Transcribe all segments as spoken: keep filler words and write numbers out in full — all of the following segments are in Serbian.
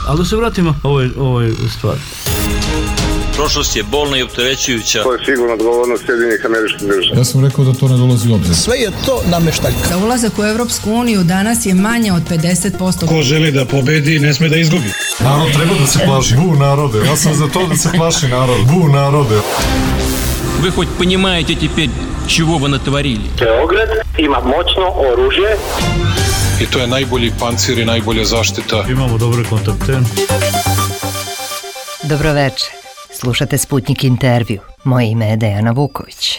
Ali da se vratimo ovoj, ovoj stvari. Prošlost je bolna i opterećujuća. To je sigurno odgovornost Sjedinjenih Američkih Država. Ja sam rekao da to ne dolazi u obzir. Sve je to nameštaljka. Za ulazak u Evropsku uniju danas je manje od pedeset posto. Ko želi da pobedi, ne sme da izgubi. Narod treba da se plaši. Bu narode. Ja sam za to da se plaši narod. Bu narode. Вы хоть понимаете теперь, чего вы натворили? Beograd ima moćno oružje. I to je najbolji pancir i najbolja zaštita. Imamo dobre kontakte. Dobroveče. Slušate Sputnik intervju. Moje ime je Dejana Vuković.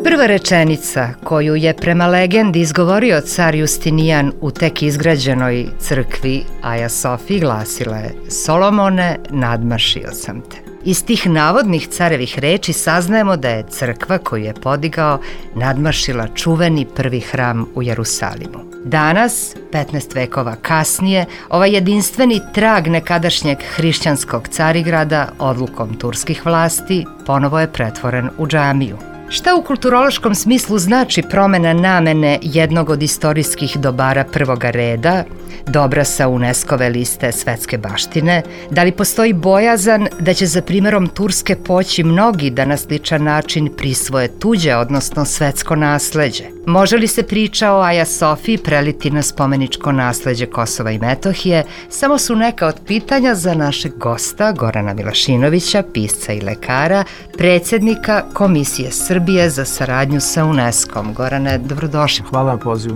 Prva rečenica koju je prema legendi izgovorio car Justinijan u tek izgrađenoj crkvi Aja Sofiji glasila je: Solomone, nadmašio sam te. Iz tih navodnih carevih reči saznajemo da je crkva koju je podigao nadmašila čuveni prvi hram u Jerusalimu. Danas, petnaest vekova kasnije, ovaj jedinstveni trag nekadašnjeg hrišćanskog Carigrada odlukom turskih vlasti ponovo je pretvoren u džamiju. Šta u kulturološkom smislu znači promena namene jednog od istorijskih dobara prvoga reda, dobra sa UNESCO-ve liste svetske baštine? Da li postoji bojazan da će za primjerom Turske poći mnogi da na sličan način prisvoje tuđe, odnosno svetsko nasleđe? Može li se priča o Aja Sofiji preliti na spomeničko nasleđe Kosova i Metohije? Samo su neka od pitanja za našeg gosta Gorana Milašinovića, pisca i lekara, predsjednika Komisije Srbije za saradnju sa UNESCO-om. Gorane, dobrodošli. Hvala na pozivu.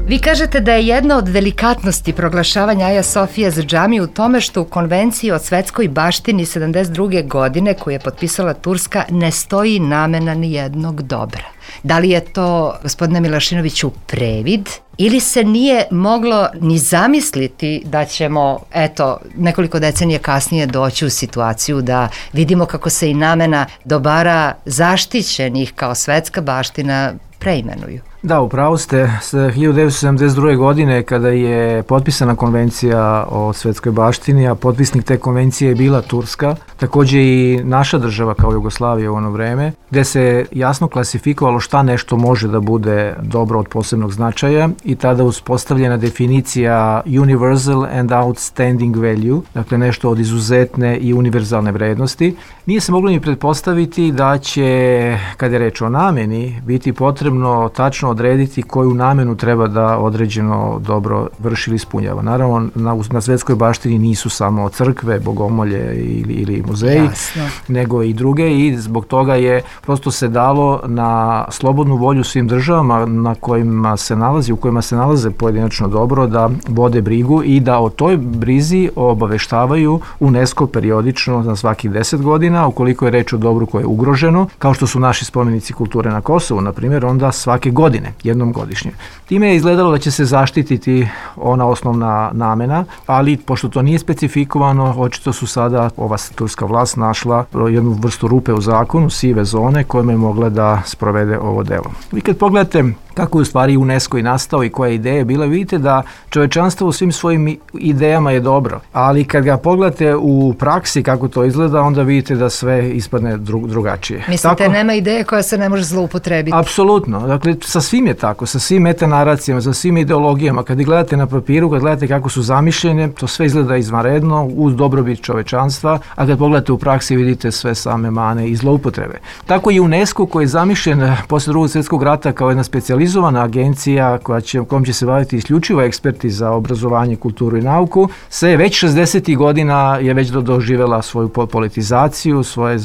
Vi kažete da je jedna od delikatnosti proglašavanja Aja Sofije za džamiju u tome što u konvenciji o svetskoj baštini sedamdeset druge godine koju je potpisala Turska ne stoji namena ni jednog dobra. Da li je to, gospodine Milašinoviću, previd ili se nije moglo ni zamisliti da ćemo, eto, nekoliko decenija kasnije doći u situaciju da vidimo kako se i namena dobara zaštićenih kao svetska baština preimenuju? Da, upravo ste. hiljadu devetsto sedamdeset druge godine kada je potpisana konvencija o svetskoj baštini, a potpisnik te konvencije je bila Turska, također i naša država kao Jugoslavija u ono vreme, gde se jasno klasifikovalo šta nešto može da bude dobro od posebnog značaja i tada uspostavljena definicija universal and outstanding value, dakle nešto od izuzetne i univerzalne vrednosti. Nije se moglo ni pretpostaviti da će, kada je reč o nameni, biti potrebno tačno odrediti koju namenu treba da određeno dobro vrši ili ispunjava. Naravno, na, na svetskoj baštini nisu samo crkve, bogomolje ili, ili muzeji, Jasno. nego i druge i zbog toga je prosto se dalo na slobodnu volju svim državama na kojima se nalazi, u kojima se nalaze pojedinačno dobro da vode brigu i da o toj brizi obaveštavaju UNESCO periodično na svakih deset godina, ukoliko je reč o dobru koje je ugroženo, kao što su naši spomenici kulture na Kosovu, na primjer, onda svake godine, jednom godišnje. Time je izgledalo da će se zaštititi ona osnovna namena, ali pošto to nije specifikovano, očito su sada ova turska vlast našla jednu vrstu rupe u zakonu, sive zone, kojima je mogla da sprovede ovo delo. Vi kad pogledate kako je u stvari UNESCO i nastao i koja ideja je bila, vidite da čovečanstvo u svim svojim idejama je dobro, ali kad ga pogledate u praksi kako to izgleda, onda vidite da sve ispadne dru, drugačije. Mislite, tako, nema ideje koja se ne može zloupotrebiti? Apsolutno. Dakle, sa svim je tako, sa svim metanaracijama, sa svim ideologijama. Kad gledate na papiru, kad gledate kako su zamišljene, to sve izgleda izvanredno, uz dobrobit čovečanstva, a kad pogledate u praksi vidite sve same mane i zloupotrebe. Tako i UNESCO koji je zamišljen posle drugog svjetskog rata kao jedna specijalizovana agencija koja će, kojom će se baviti isključivo eksperti za obrazovanje, kulturu i nauku, se već šezdesetih godina je već doživjela svoju politizaciju, svoje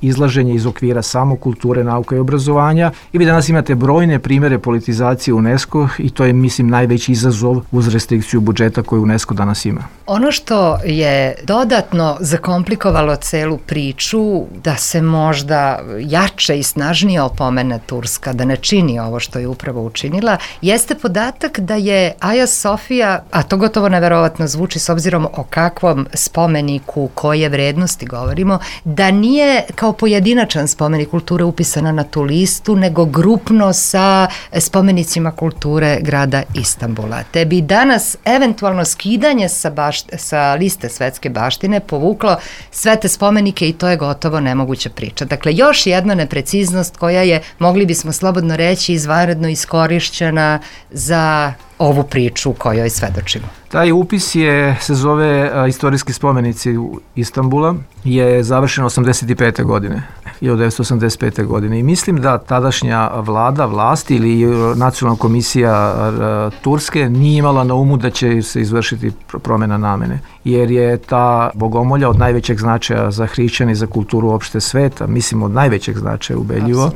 izlaženje iz okvira samo kulture, nauke i obrazovanja i vi danas imate brojne primjere politizacije UNESCO i to je, mislim, najveći izazov uz restrikciju budžeta koju UNESCO danas ima. Ono što je dodatno zakomplikovalo celu priču da se možda jače i snažnije opomene Turska, da ne čini ovo što je upravo upravo učinila, jeste podatak da je Aja Sofija, a to gotovo neverovatno zvuči s obzirom o kakvom spomeniku, koje vrednosti govorimo, da nije kao pojedinačan spomenik kulture upisana na tu listu, nego grupno sa spomenicima kulture grada Istanbula. Te bi danas eventualno skidanje sa, bašt, sa liste svetske baštine povuklo sve te spomenike i to je gotovo nemoguća priča. Dakle, još jedna nepreciznost koja je, mogli bismo slobodno reći, izvanredno iskorišćena za ovu priču u kojoj svedočimo. Taj upis je, se zove a, Istorijski spomenici Istanbula, je završen osamdeset pete godine, hiljadu devetsto osamdeset pete. godine i mislim da tadašnja vlada, vlast ili nacionalna komisija a, Turske nije imala na umu da će se izvršiti promjena namene, jer je ta bogomolja od najvećeg značaja za hrišćane i za kulturu opšte sveta, mislim od najvećeg značaja ubedljivo,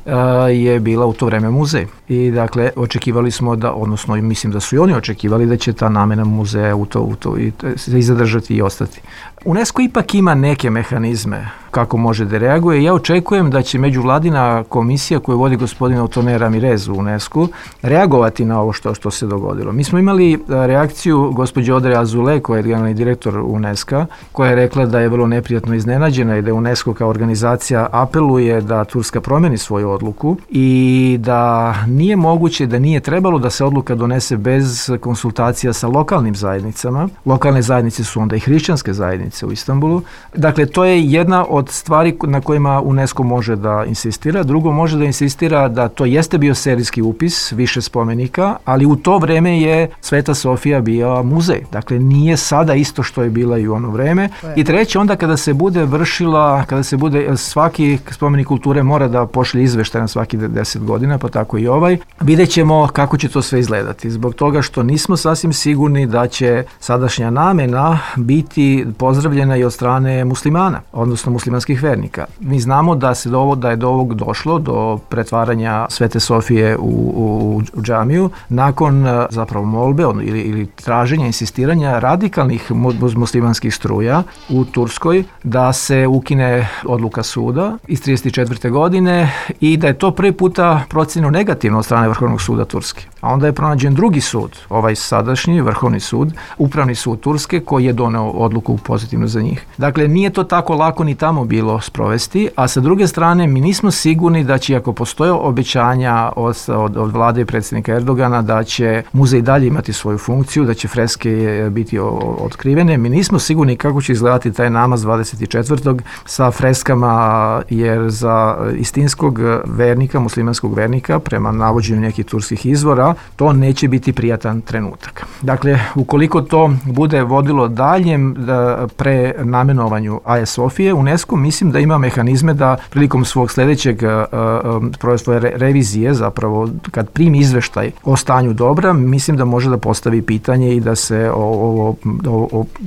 a, je bila u to vreme muzej. I dakle, očekivali smo da, odnosno mislim da su i oni očekivali da će ta namena muzeja u to, u to i, i zadržati i ostati. UNESCO ipak ima neke mehanizme kako može da reaguje. Ja očekujem da će međuvladina komisija koju vodi gospodin Otone Ramirez u UNESCO reagovati na ovo što, što se dogodilo. Mi smo imali reakciju gospođe Odre Azule, koja je generalni direktor UNESCO, koja je rekla da je vrlo neprijatno iznenađena i da UNESCO kao organizacija apeluje da Turska promeni svoju odluku i da nije moguće, da nije trebalo da se odluka donese bez konsultacija sa lokalnim zajednicama. Lokalne zajednice su onda i hrišćanske zajednice u Istanbulu. Dakle, to je jedna od stvari na kojima UNESCO može da insistira. Drugo, može da insistira da to jeste bio serijski upis, više spomenika, ali u to vreme je Sveta Sofija bio muzej. Dakle, nije sada isto što je bila i u ono vreme. I treće, onda kada se bude vršila, kada se bude, svaki spomenik kulture mora da pošlje izveštaj na svaki deset godina, pa tako i ovaj, vidjet ćemo kako će to sve izgledati. Zbog toga što nismo sasvim sigurni da će sadašnja namena biti pozdravljena i od strane muslimana, odnosno muslimanskih vernika. Mi znamo da se do ovo, da je do ovog došlo, do pretvaranja Svete Sofije u, u, u džamiju, nakon zapravo molbe ili, ili traženja, insistiranja radikalnih muslimanskih struja u Turskoj da se ukine odluka suda iz trideset četvrte. godine i da je to prvi puta procenjeno negativno od strane Vrhovnog suda Turske. A onda je pronađen drugi sud, ovaj sadašnji Vrhovni sud, Upravni sud Turske, koji je doneo odluku pozitivno za njih. Dakle, nije to tako lako ni tamo bilo sprovesti, a sa druge strane mi nismo sigurni da će, ako postoje obećanja od, od, od vlade i predsjednika Erdogana, da će muzej dalje imati svoju funkciju, da će freske biti otkrivene. Mi nismo sigurni kako će izgledati taj namaz dvadeset četvrtog sa freskama, jer za istinskog vernika, muslimanskog vernika, prema navođenju nekih turskih izvora, to neće biti prijatan trenutak. Dakle, ukoliko to bude vodilo daljem prenamenovanju Aje Sofije, UNESCO mislim da ima mehanizme da prilikom svog sljedećeg uh, svoje re, revizije, zapravo kad primi izveštaj o stanju dobra, mislim da može da postavi pitanje i da se ovo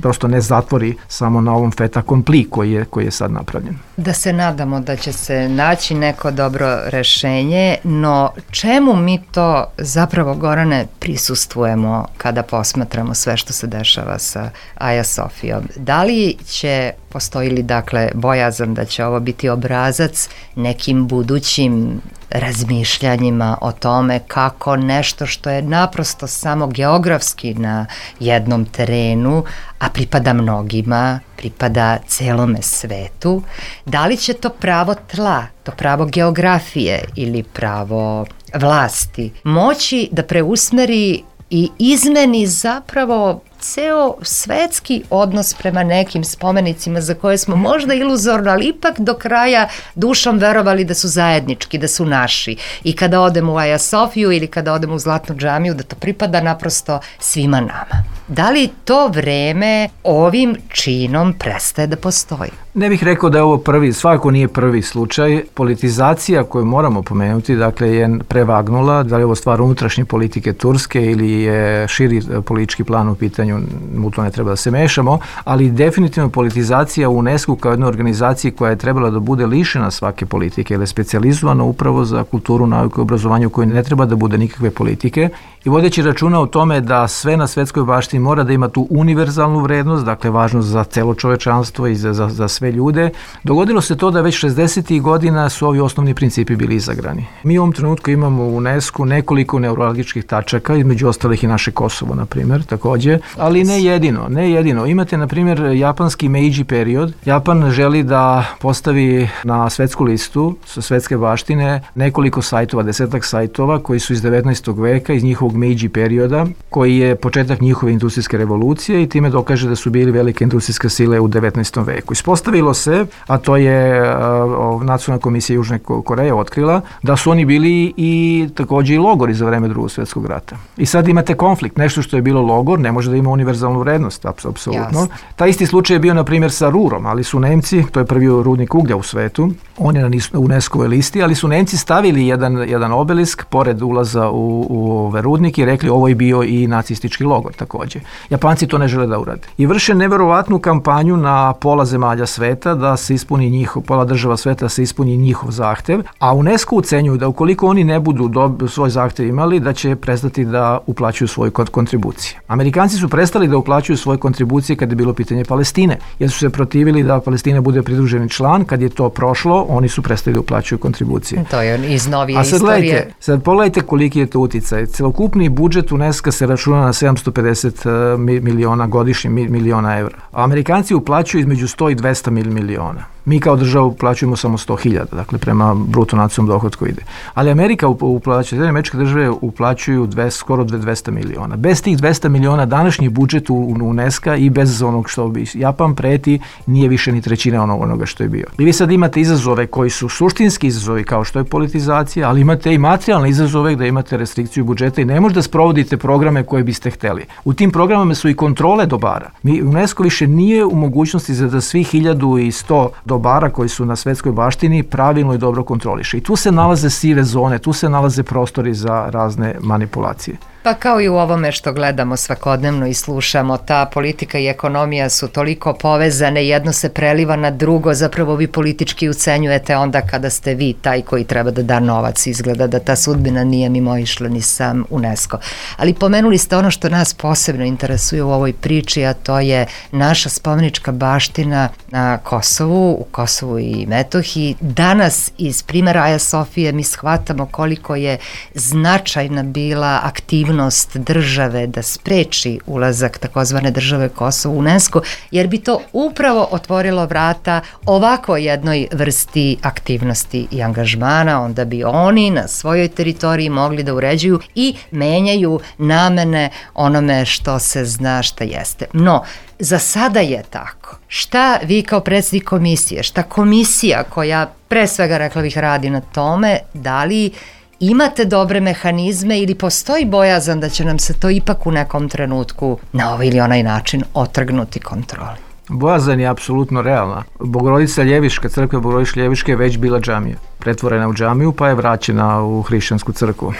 prosto ne zatvori samo na ovom fait accompli koji je, koji je sad napravljen. Da se nadamo da će se naći neko dobro rešenje, no čemu mi to zapravo, Gorane, prisustvujemo kada posmatramo sve što se dešava sa Aja Sofijom? Da li će, postoji li dakle bojazan da će ovo biti obrazac nekim budućim razmišljanjima o tome kako nešto što je naprosto samo geografski na jednom terenu, a pripada mnogima, pripada celome svetu, da li će to pravo tla, to pravo geografije ili pravo vlasti moći da preusmeri i izmeni zapravo ceo svetski odnos prema nekim spomenicima za koje smo možda iluzorno, ali ipak do kraja dušom verovali da su zajednički, da su naši. I kada odemo u Aja Sofiju ili kada odemo u Zlatnu džamiju, da to pripada naprosto svima nama. Da li to vreme ovim činom prestaje da postoji? Ne bih rekao da je ovo prvi, svakako nije prvi slučaj. Politizacija koju moramo pomenuti, dakle, je prevagnula. Da li je ovo stvar unutrašnje politike Turske ili je širi politički plan u pitanju, u to ne treba da se mešamo, ali definitivno politizacija u UNESCO kao jednoj organizaciji koja je trebala da bude lišena svake politike, jer je specijalizovana upravo za kulturu, nauku i obrazovanju koji ne treba da bude nikakve politike. I vodeći računa o tome da sve na svetskoj baštini mora da ima tu univerzalnu vrednost, dakle važnost za celo čovečanstvo i za, za, za sve sve ljude. Dogodilo se to da već šezdesetih godina su ovi osnovni principi bili izagrani. Mi u ovom trenutku imamo u UNESCO nekoliko neurologičkih tačaka, između ostalih i naše Kosovo, na primjer, takođe, ali ne jedino, ne jedino. Imate, na primjer, japanski Meiji period. Japan želi da postavi na svetsku listu sa svetske baštine nekoliko sajtova, desetak sajtova koji su iz devetnaestog veka, iz njihovog Meiji perioda, koji je početak njihove industrijske revolucije i time dokaže da su bili velike industrijske sile u devetnaestom veku. Ispostavilo se, a to je uh, Nacionalna komisija Južne Koreje otkrila, da su oni bili i takođe i logori za vreme Drugog svjetskog rata. I sad imate konflikt, nešto što je bilo logor ne može da ima univerzalnu vrednost, apsolutno. Taj isti slučaj je bio, na primjer, sa Rurom, ali su Nemci, to je prvi rudnik uglja u svetu, on je na UNESCO-voj listi, ali su Nemci stavili jedan, jedan obelisk pored ulaza u, u ove rudnike i rekli ovo je bio i nacistički logor takođe. Japanci to ne žele da urade. I vrše neverovatnu kampanju na pola zemalja sveta da se ispuni njihov, pola država sveta da se ispuni njihov zahtev, a UNESCO ucenjuju da ukoliko oni ne budu dob, svoj zahtev imali, da će prestati da uplaćuju svoje kontribucije. Amerikanci su prestali da uplaćuju svoje kontribucije kad je bilo pitanje Palestine, jer su se protivili da Palestina bude pridruženi član. Kad je to prošlo, oni su prestali da uplaćuju kontribucije. To je iz novije A sad istorije. Gledajte, sad pogledajte koliki je to uticaj. Celokupni budžet UNESCO se računa na sedamsto pedeset miliona godišnje, miliona evra. A Amerikanci uplaćuju između sto i dvesta miliona. Mi kao država uplaćujemo samo sto hiljada, dakle prema bruto nacionalnom dohotku ide. Ali Amerika uplaćuje, američke države uplaćuju dve, skoro dvesta miliona. Bez tih dvesta miliona današnji budžet u UNESCO i bez onog što bi Japan preti nije više ni trećina onog, onoga što je bio. I vi sad imate izazove koji su suštinski izazovi kao što je politizacija, ali imate i materijalne izazove gde imate restrikciju budžeta i ne možete da sprovodite programe koje biste hteli. U tim programama su i kontrole dobara. Mi, UNESCO više nije u mogućnosti za da svi hiljadu i sto dobara koji su na svetskoj baštini pravilno i dobro kontroliše. I tu se nalaze sive zone, tu se nalaze prostori za razne manipulacije. Pa kao i u ovome što gledamo svakodnevno i slušamo, ta politika i ekonomija su toliko povezane, jedno se preliva na drugo, zapravo vi politički ucenjujete onda kada ste vi taj koji treba da da novac, izgleda da ta sudbina nije mimoišla ni sam UNESCO. Ali pomenuli ste ono što nas posebno interesuje u ovoj priči, a to je naša spomenička baština na Kosovu, u Kosovu i Metohiji. Danas iz primjera Aja Sofije mi shvatamo koliko je značajna bila aktivnost države da spreči ulazak takozvane države Kosovo u UNESCO, jer bi to upravo otvorilo vrata ovako jednoj vrsti aktivnosti i angažmana, onda bi oni na svojoj teritoriji mogli da uređuju i menjaju namene onome što se zna šta jeste. No, za sada je tako. Šta vi kao predsjednik komisije, šta komisija koja pre svega, rekla bih, radi na tome, da li imate dobre mehanizme ili postoji bojazan da će nam se to ipak u nekom trenutku na ovaj ili onaj način otrgnuti kontroli? Bojazan je apsolutno realna. Bogorodica Ljeviška, crkva Bogorodice Ljeviške je već bila džamija. Pretvorena u džamiju pa je vraćena u hrišćansku crkvu.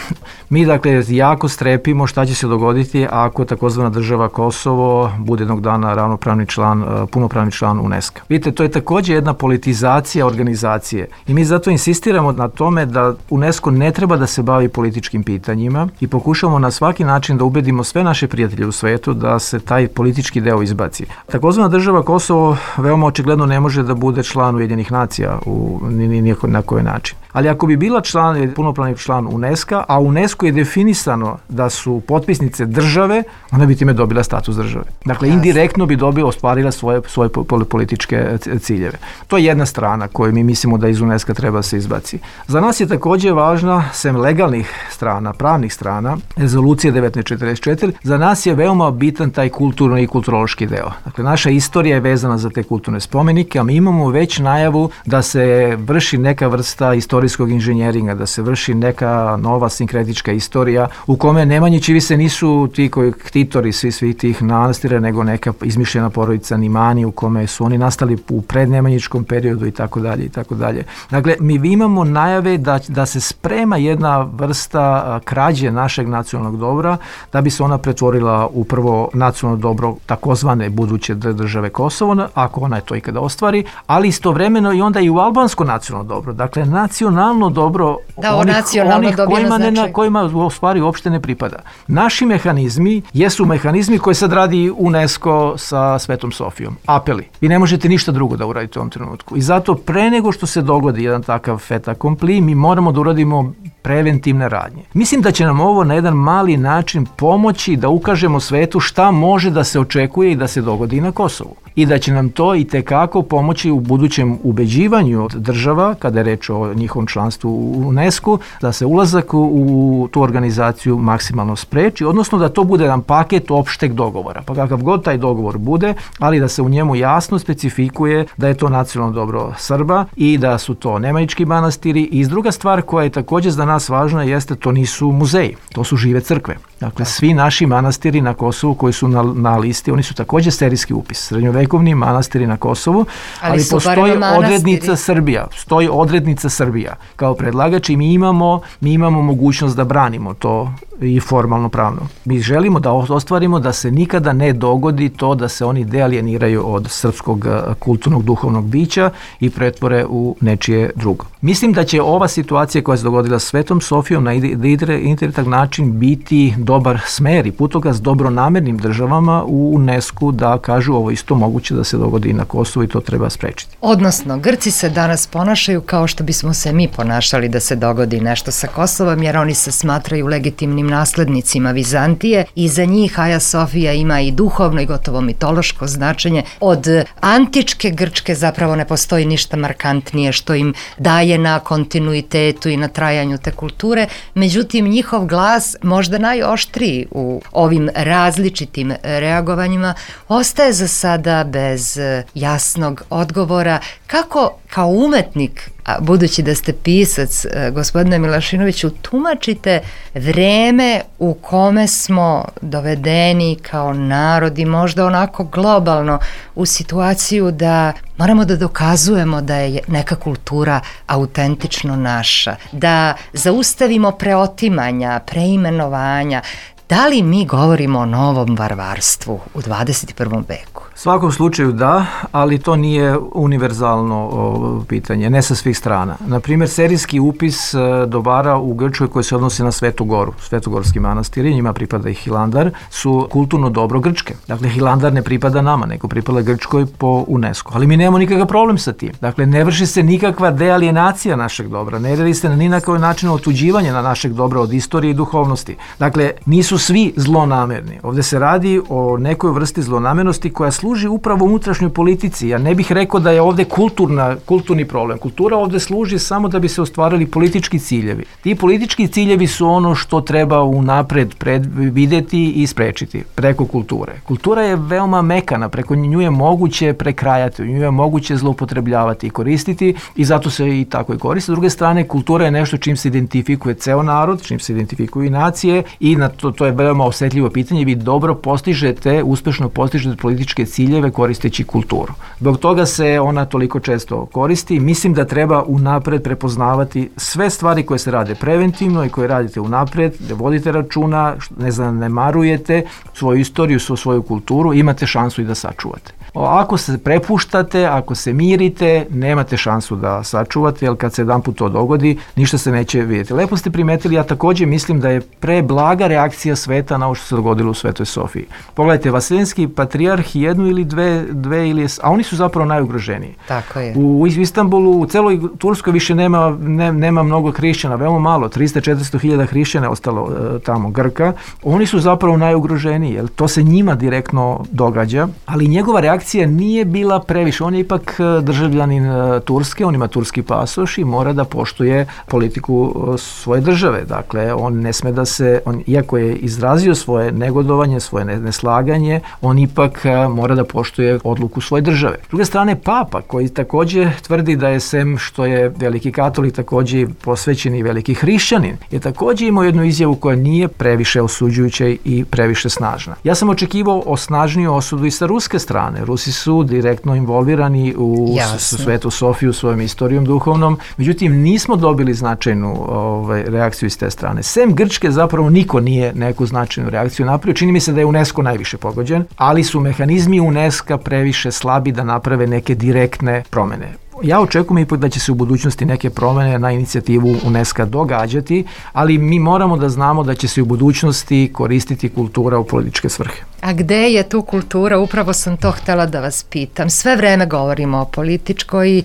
Mi dakle jako strepimo šta će se dogoditi ako takozvana država Kosovo bude jednog dana ravnopravni član, punopravni član UNESCO. Vidite, to je takođe jedna politizacija organizacije i mi zato insistiramo na tome da UNESCO ne treba da se bavi političkim pitanjima i pokušamo na svaki način da ubedimo sve naše prijatelje u svetu da se taj politički deo izbaci. Takozvana država Kosovo veoma očigledno ne može da bude član Ujedinjenih nacija u nijako na koji način. Ali ako bi bila član, punopravni član UNESCO, a UNESCO je definisano da su potpisnice države, ona bi time dobila status države. Dakle, indirektno bi dobila, ostvarila svoje, svoje političke ciljeve. To je jedna strana koju mi mislimo da iz UNESCO treba se izbaci. Za nas je takođe važna, sem legalnih strana, pravnih strana, rezolucija devetnaest četrdeset četiri, za nas je veoma bitan taj kulturni i kulturološki deo. Dakle, naša istorija je vezana za te kulturne spomenike, a mi imamo već najavu da se vrši neka vrsta istorijskog inženjeringa, da se vrši neka nova sinkretička istorija u kome Nemanjići više nisu ti koji ktitori svi svih tih manastira, nego neka izmišljena porodica Nimani u kome su oni nastali u prednemanjičkom periodu i tako dalje i tako dalje. Dakle, mi imamo najave da, da se sprema jedna vrsta krađe našeg nacionalnog dobra da bi se ona pretvorila u prvo nacionalno dobro takozvane buduće države Kosovo, ako ona je to ikada ostvari, ali istovremeno i onda i u albansko nacionalno dobro. Dakle, nacionalno dobro da, onih, nacionalno onih kojima, ne, na kojima u stvari uopšte ne pripada. Naši mehanizmi jesu mehanizmi koje sad radi UNESCO sa Svetom Sofijom. Apeli. Vi ne možete ništa drugo da uradite u ovom trenutku. I zato pre nego što se dogodi jedan takav fait accompli, mi moramo da uradimo preventivne radnje. Mislim da će nam ovo na jedan mali način pomoći da ukažemo svetu šta može da se očekuje i da se dogodi na Kosovu. I da će nam to i tekako pomoći u budućem ubeđivanju država, kada je reč o njihovom članstvu u UNESCO, da se ulazak u tu organizaciju maksimalno spreči, odnosno da to bude jedan paket opšteg dogovora. Pa kakav god taj dogovor bude, ali da se u njemu jasno specifikuje da je to nacionalno dobro Srba i da su to Nemanjički manastiri. I druga stvar koja je također za nas važna jeste to nisu muzeji, to su žive crkve. Dakle, svi naši manastiri na Kosovu koji su na, na listi, oni su također serijski upis. Srednjovekovni manastiri na Kosovu, ali, ali postoji odrednica Srbija. Stoji odrednica Srbija kao predlagač i mi imamo, mi imamo mogućnost da branimo to i formalno pravno. Mi želimo da ostvarimo da se nikada ne dogodi to da se oni dealijeniraju od srpskog kulturnog duhovnog bića i pretvore u nečije drugo. Mislim da će ova situacija koja se dogodila s Svetom Sofijom na indirektan način biti dobar smer i putokaz dobronamernim državama u UNESCO da kažu ovo isto moguće da se dogodi i na Kosovu i to treba sprečiti. Odnosno, Grci se danas ponašaju kao što bismo se mi ponašali da se dogodi nešto sa Kosovom, jer oni se smatraju legitimnim naslednicima Vizantije i za njih Hagia Sofia ima i duhovno i gotovo mitološko značenje. Od antičke Grčke zapravo ne postoji ništa markantnije što im daje na kontinuitetu i na trajanju te kulture, međutim njihov glas, možda najoštriji u ovim različitim reagovanjima, ostaje za sada bez jasnog odgovora. Kako kao umetnik, a budući da ste pisac, gospodine Milašinoviću, tumačite vreme u kome smo dovedeni kao narod i možda onako globalno u situaciju da moramo da dokazujemo da je neka kultura autentično naša, da zaustavimo preotimanja, preimenovanja. Da li mi govorimo o novom varvarstvu u dvadeset prvom veku? U svakom slučaju da, ali to nije univerzalno o, pitanje, ne sa svih strana. Naprimjer, serijski upis e, dobara u Grčkoj koji se odnosi na Svetu Goru, Svetogorski manastiri, njima pripada i Hilandar, su kulturno dobro Grčke. Dakle, Hilandar ne pripada nama, nego pripada Grčkoj po UNESCO. Ali mi nemamo nikakav problem sa tim. Dakle, ne vrši se nikakva dealienacija našeg dobra, ne radi se na ni na koji način otuđivanje na našeg dobra od istorije i duhovnosti. Dakle, nisu svi zlonamerni. Ovdje se radi o nekoj vrsti zlonamernosti koja služi upravo unutrašnjoj politici. Ja ne bih rekao da je ovdje kulturna, kulturni problem. Kultura ovdje služi samo da bi se ostvarili politički ciljevi. Ti politički ciljevi su ono što treba unapred predvideti i sprečiti preko kulture. Kultura je veoma mekana, preko nju je moguće prekrajati, nju je moguće zloupotrebljavati i koristiti i zato se i tako i koristi. S druge strane, kultura je nešto čim se identifikuje ceo narod, čim se identifikuju i nacije i na to, to je veoma osjetljivo pitanje. Vi dobro postižete, uspešno postižete političke ciljeve koristeći kulturu. Zbog toga se ona toliko često koristi. Mislim da treba unapred prepoznavati sve stvari koje se rade preventivno i koje radite unapred, da vodite računa, ne zanemarujete svoju istoriju, svoju kulturu, imate šansu i da sačuvate. Ako se prepuštate, ako se mirite, nemate šansu da sačuvate, jer kad se jedan put to dogodi, ništa se neće vidjeti. Lepo ste primetili, ja također mislim da je preblaga reakcija sveta na ovo što se dogodilo u Svetoj Sofiji. Pogledajte, Vaseljenski patrijarh jednu ili dve, dve ili, a oni su zapravo najugroženiji. Tako je. U Istanbulu, u celoj Turskoj više nema, ne, nema mnogo hrišćana, veoma malo, tristo do četiristo hiljada hrišćana je ostalo e, tamo, Grka. Oni su zapravo najugroženiji, jer to se njima direktno događa, ali njegova reakcija nije bila previše. On je ipak državljanin Turske, on ima turski pasoš i mora da poštuje politiku svoje države. Dakle, on ne sme da se, on, iako je izrazio svoje negodovanje, svoje neslaganje, on ipak mora da poštuje odluku svoje države. S druge strane, Papa, koji također tvrdi da je sem što je veliki katolik, također posvećen i veliki hrišćanin, je također imao jednu izjavu koja nije previše osuđujuća i previše snažna. Ja sam očekivao osnažniju osudu i sa ruske strane. Rusi su direktno involvirani u Jasne. Svetu Sofiju svojom istorijom duhovnom, međutim nismo dobili značajnu ovaj, reakciju iz te strane. Sem Grčke zapravo niko nije neku značajnu reakciju napravio. Čini mi se da je UNESCO najviše pogođen, ali su mehanizmi UNESCO previše slabi da naprave neke direktne promjene. Ja očekujem ipak da će se u budućnosti neke promene na inicijativu UNESCO događati, ali mi moramo da znamo da će se u budućnosti koristiti kultura u političke svrhe. A gde je tu kultura? Upravo sam to htela da vas pitam. Sve vreme govorimo o političkoj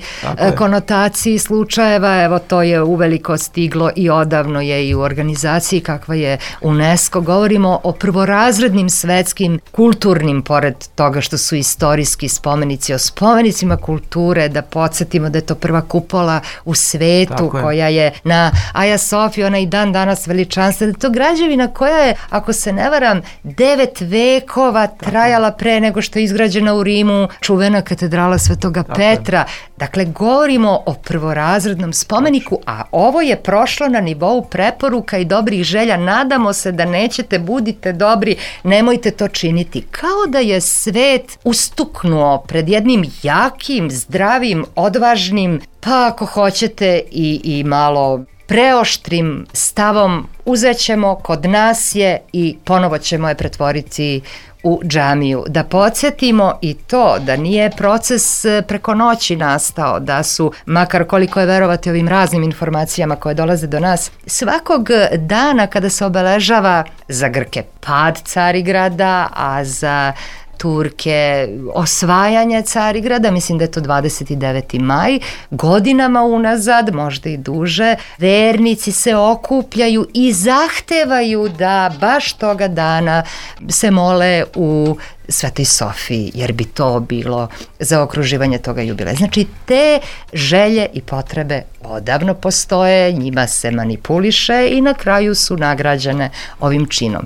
konotaciji slučajeva, evo to je uveliko stiglo i odavno je i u organizaciji kakva je UNESCO. Govorimo o prvorazrednim svetskim kulturnim, pored toga što su istorijski spomenici, o spomenicima kulture, da podsjetimo da je to prva kupola u svetu koja je na Aja Sofiji, ona i dan danas veličanstvena. To građevina koja je, ako se ne varam, devet vekova trajala pre nego što je izgrađena u Rimu čuvena katedrala Svetoga Petra. Dakle, govorimo o prvorazrednom spomeniku, a ovo je prošlo na nivou preporuka i dobrih želja. Nadamo se da nećete, budite dobri, nemojte to činiti. Kao da je svet ustuknuo pred jednim jakim, zdravim, odvažnim, pa ako hoćete i, i malo preoštrim stavom, uzet ćemo, kod nas je i ponovo ćemo je pretvoriti u džamiju. Da podsjetimo i to da nije proces preko noći nastao, da su, makar koliko je verovati ovim raznim informacijama koje dolaze do nas, svakog dana kada se obeležava za Grke pad Carigrada, a za Turke osvajanje Carigrada, mislim da je to dvadeset deveti maj, godinama unazad, možda i duže, vernici se okupljaju i zahtevaju da baš toga dana se mole u Svetoj Sofiji, jer bi to bilo za okruživanje toga jubileja. Znači, te želje i potrebe odavno postoje, njima se manipuliše i na kraju su nagrađene ovim činom.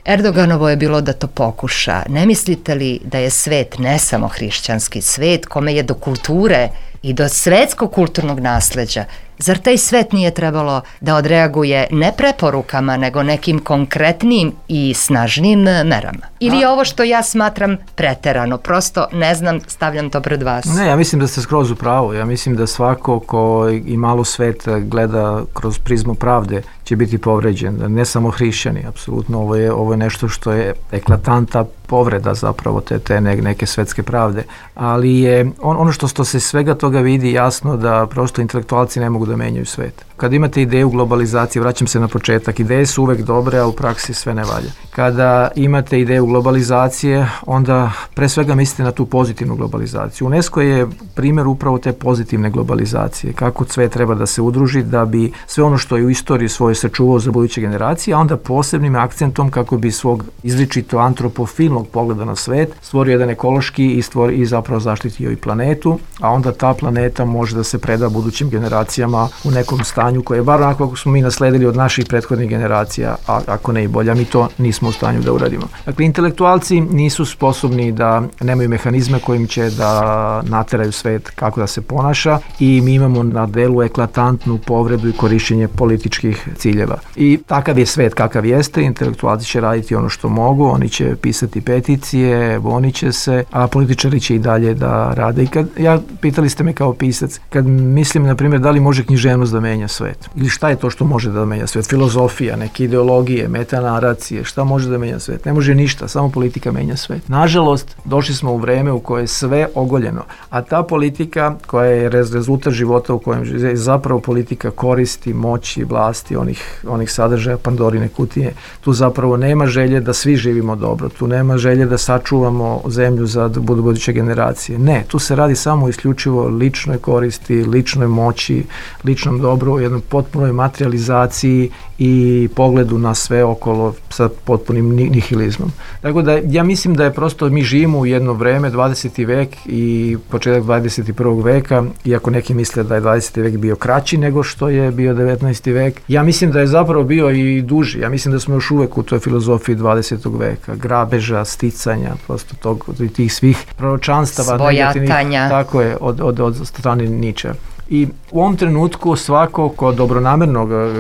Erdoganovo je bilo da to pokuša. Ne mislite li da je svet, ne samo hrišćanski svet, kome je do kulture i do svetskog kulturnog nasleđa, zar taj svet nije trebalo da odreaguje ne preporukama, nego nekim konkretnim i snažnim merama? Ili je ovo što ja smatram preterano? Prosto ne znam, stavljam to pred vas. Ne, ja mislim da ste skroz u pravu. Ja mislim da svako ko i malo svet gleda kroz prizmu pravde će biti povređen. Ne samo hrišćani, apsolutno. Ovo je, ovo je nešto što je eklatanta povreda zapravo te, te neke svetske pravde. Ali je on, ono što, što se svega toga vidi jasno da prosto intelektualci ne mogu da menjaju svet. Kad imate ideju globalizacije, vraćam se na početak, ideje su uvek dobre, a u praksi sve ne valja. Kada imate ideju globalizacije, onda pre svega mislite na tu pozitivnu globalizaciju. UNESCO je primjer upravo te pozitivne globalizacije, kako sve treba da se udruži da bi sve ono što je u istoriji svoje sačuvao za buduće generacije, a onda posebnim akcentom kako bi svog izričito antropofilnog pogleda na svet stvorio jedan ekološki i, stvori, i zapravo zaštitio i planetu, a onda ta planeta može da se preda budućim generacijama u nekom stanju koje je bar onako kako smo mi nasledili od naših prethodnih generacija, a ako ne i bolja, mi to nismo u stanju da uradimo. Dakle, intelektualci nisu sposobni da nemaju mehanizme kojim će da nateraju svet kako da se ponaša i mi imamo na delu eklatantnu povredu i korišćenje političkih ciljeva. I takav je svet kakav jeste, intelektualci će raditi ono što mogu, oni će pisati peticije, bonit će se, a političari će i dalje da rade. I kad, ja, pitali ste me kao pisac, kad mislim, na primjer, da li može književnost da menja svet? Ili šta je to što može da menja svet? Filozofija, neke ideologije, metanaracije, šta može da menja svet? Ne može ništa, samo politika menja svet. Nažalost, došli smo u vreme u koje je sve ogoljeno, a ta politika koja je rezultat života u kojem je zapravo politika koristi, moći, vlasti, onih, onih sadržaja Pandorine kutije. Tu zapravo nema želje da svi živimo dobro, tu nema želje da sačuvamo zemlju za budu buduće generacije. Ne, tu se radi samo isključivo ličnoj koristi, ličnoj moći, ličnom dobru, jednoj potpunoj materializaciji i pogledu na sve okolo sa potpunim nihilizmom. Tako da ja mislim da je prosto mi živimo u jedno vreme, dvadeseti vek i početak dvadeset prvog veka, iako neki misle da je dvadeseti vek bio kraći nego što je bio devetnaesti vek. Ja mislim da je zapravo bio i duži. Ja mislim da smo još uvek u toj filozofiji dvadesetog veka, grabeža, sticanja, prosto tog, tih svih proročanstava, svojatanja. Tako je, od, od, od strane Niča. I u ovom trenutku svako ko dobronamerno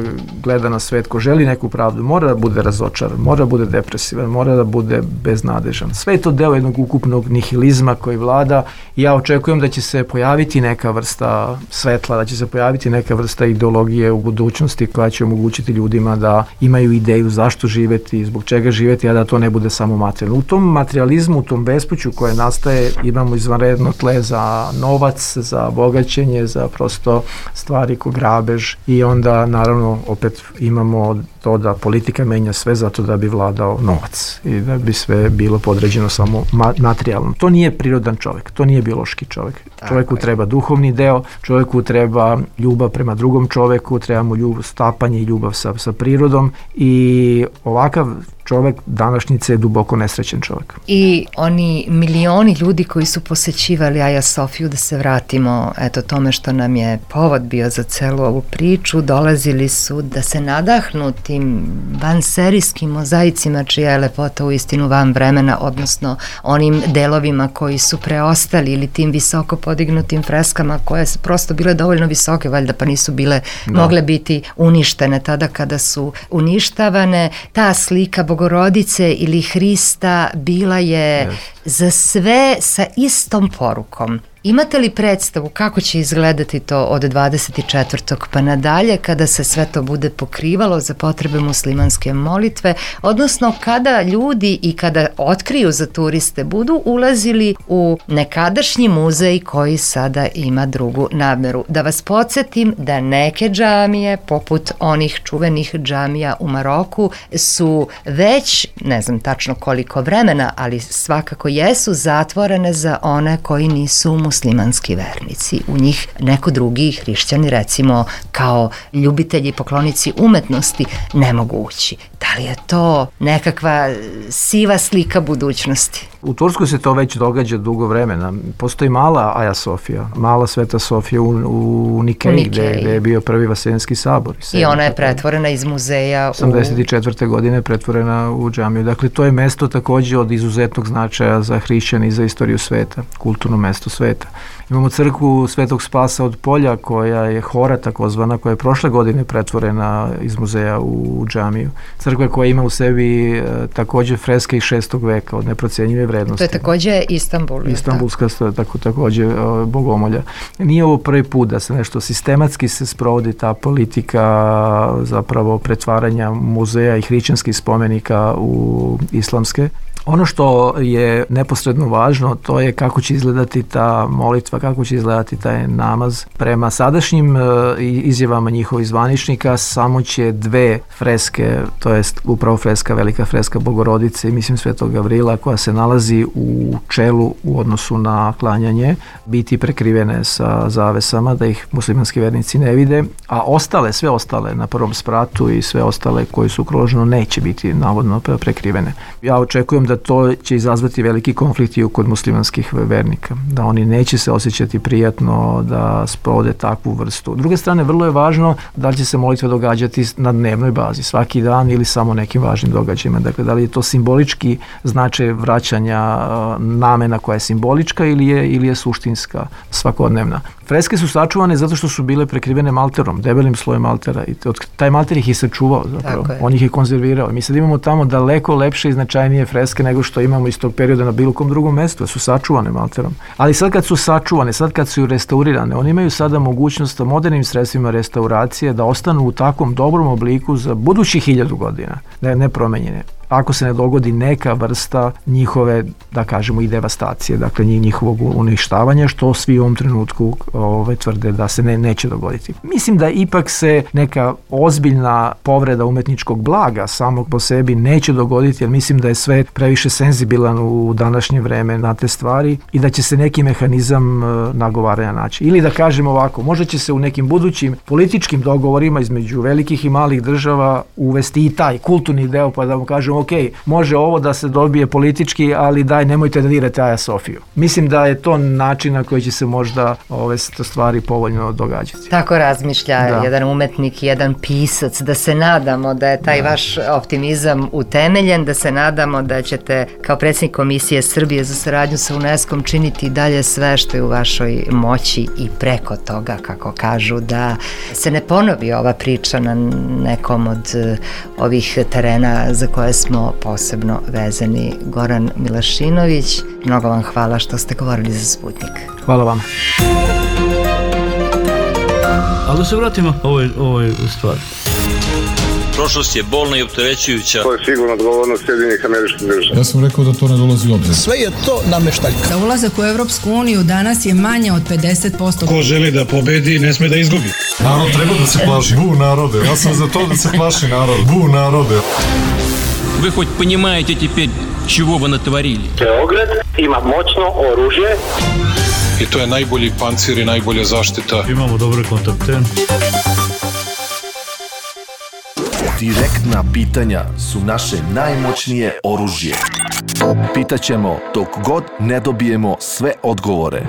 gleda na svet, ko želi neku pravdu, mora da bude razočaran, mora da bude depresivan, mora da bude beznadežan. Sve je to deo jednog ukupnog nihilizma koji vlada i ja očekujem da će se pojaviti neka vrsta svetla, da će se pojaviti neka vrsta ideologije u budućnosti koja će omogućiti ljudima da imaju ideju zašto živeti, zbog čega živeti, a da to ne bude samo materijalno. U tom materializmu, u tom bespuću koje nastaje, imamo izvanredno tle za novac, za bogaćenje, za prosto stvari ko grabež i onda naravno opet imamo to da politika menja sve zato da bi vladao novac i da bi sve bilo podređeno samo materijalno. To nije prirodan čovjek, to nije biološki čovjek. Čovjeku treba duhovni deo, čovjeku treba ljubav prema drugom čovjeku, treba mu ljubav, stapanje i ljubav sa, sa prirodom i ovakav čovjek današnjice je duboko nesrećen čovjek. I oni milioni ljudi koji su posećivali Aja Sofiju, da se vratimo eto tome što nam je povod bio za celu ovu priču, dolazili su da se nadahnu tim vanserijskim mozaicima čija je lepota u istinu van vremena, odnosno onim delovima koji su preostali ili tim visoko podignutim freskama koje su prosto bile dovoljno visoke, valjda pa nisu bile da. mogle biti uništene tada kada su uništavane. Ta slika Bogorodice ili Hrista bila je yes. za sve sa istom porukom. Imate li predstavu kako će izgledati to od dvadeset četvrtog pa nadalje kada se sve to bude pokrivalo za potrebe muslimanske molitve, odnosno kada ljudi i kada otkriju za turiste budu ulazili u nekadašnji muzej koji sada ima drugu nameru. Da vas podsjetim da neke džamije, poput onih čuvenih džamija u Maroku, su već, ne znam tačno koliko vremena, ali svakako jesu zatvorene za one koji nisu muslimanski vernici. U njih neko drugi hrišćani, recimo kao ljubitelji i poklonici umetnosti, ne mogu ući. Da li je to nekakva siva slika budućnosti? U Turskoj se to već događa dugo vremena. Postoji mala Aja Sofija, mala Sveta Sofija u, u Nikeji, u Nikeji. Gde, gde je bio prvi Vaseljenski sabor. I, I ona je pretvorena iz muzeja u... osamdeset četvrte godine je pretvorena u džamiju. Dakle, to je mesto takođe od izuzetnog značaja za hrišćane i za istoriju sveta, kulturno mesto sveta. Imamo crkvu Svetog Spasa od Polja, koja je hora takozvana, koja je prošle godine pretvorena iz muzeja u džamiju. Crkva koja ima u sebi e, takođe freske iz šestog veka od neprocenjive vrednosti. To je takođe Istanbul. Istanbulska tako, takođe e, bogomolja. Nije ovo prvi put da se nešto sistematski se sprovodi ta politika zapravo pretvaranja muzeja i hrišćanskih spomenika u islamske. Ono što je neposredno važno, to je kako će izgledati ta molitva, kako će izgledati taj namaz. Prema sadašnjim izjavama njihovih zvaničnika samo će dve freske, to jest upravo freska, velika freska Bogorodice i mislim Svetog Gavrila, koja se nalazi u čelu u odnosu na klanjanje, biti prekrivene sa zavesama da ih muslimanski vernici ne vide, a ostale, sve ostale na prvom spratu i sve ostale koji su okruženo neće biti navodno prekrivene. Ja očekujem da to će izazvati veliki konflikt i kod muslimanskih vernika, da oni neće se osjećati prijatno da sprovode takvu vrstu. S druge strane, vrlo je važno da li će se molitva događati na dnevnoj bazi, svaki dan ili samo nekim važnim događajima. Dakle, da li je to simbolički značaj vraćanja namena koja je simbolička ili je, ili je suštinska, svakodnevna. Freske su sačuvane zato što su bile prekrivene malterom, debelim slojem maltera i taj malter ih je sačuvao zapravo, on ih je konzervirao. Mi sad imamo tamo daleko lepše i značajnije freske nego što imamo iz tog perioda na bilo kom drugom mestu, su sačuvane malterom. Ali sad kad su sačuvane, sad kad su restaurirane, oni imaju sada mogućnost modernim sredstvima restauracije da ostanu u takvom dobrom obliku za budućih hiljadu godina, ne, ne promenjene. Ako se ne dogodi neka vrsta njihove, da kažemo, i devastacije, dakle njihovog uništavanja, što svi u ovom trenutku ove, tvrde da se ne, neće dogoditi. Mislim da ipak se neka ozbiljna povreda umetničkog blaga samog po sebi neće dogoditi, jer mislim da je sve previše senzibilan u današnje vreme na te stvari i da će se neki mehanizam nagovaranja naći. Ili da kažemo ovako, možda će se u nekim budućim političkim dogovorima između velikih i malih država uvesti i taj kulturni deo, pa da mu kažemo ok, može ovo da se dobije politički, ali daj, nemojte da dirate Aja Sofiju. Mislim da je to način na koji će se možda ove stvari povoljno događati. Tako razmišlja Da. jedan umetnik, jedan pisac, da se nadamo da je taj vaš optimizam utemeljen, da se nadamo da ćete kao predsjednik Komisije Srbije za saradnju sa UNESCO-om činiti dalje sve što je u vašoj moći i preko toga, kako kažu, da se ne ponovi ova priča na nekom od eh, ovih terena za koje smo posebno vezani. Goran Milašinović, mnogo vam hvala što ste govorili za Sputnik. Hvala vam. Ali da se vratimo ovoj, ovoj stvari. Prošlost je bolna i opterećujuća. To je sigurno odgovornost Sjedinjenih Američkih Država. Ja sam rekao da to ne dolazi u obzir. Sve je to nameštaljka. Za ulazak u Evropsku uniju danas je manje od pedeset posto. Ko želi da pobedi, ne sme da izgubi. Narod treba da se plaši. Bu narode, ja sam za to da se plaši narod. Bu narode. Вы хоть понимаете теперь, чего вы натворили? Beograd ima moćno oružje. I to je najbolji pancir i najbolja zaštita. Imamo dobre kontakte. Direktna pitanja su naše najmoćnije oružje. Pitaćemo dok god ne dobijemo sve odgovore.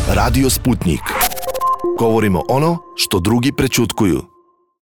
Radio Sputnik. Govorimo ono što drugi prećutkuju.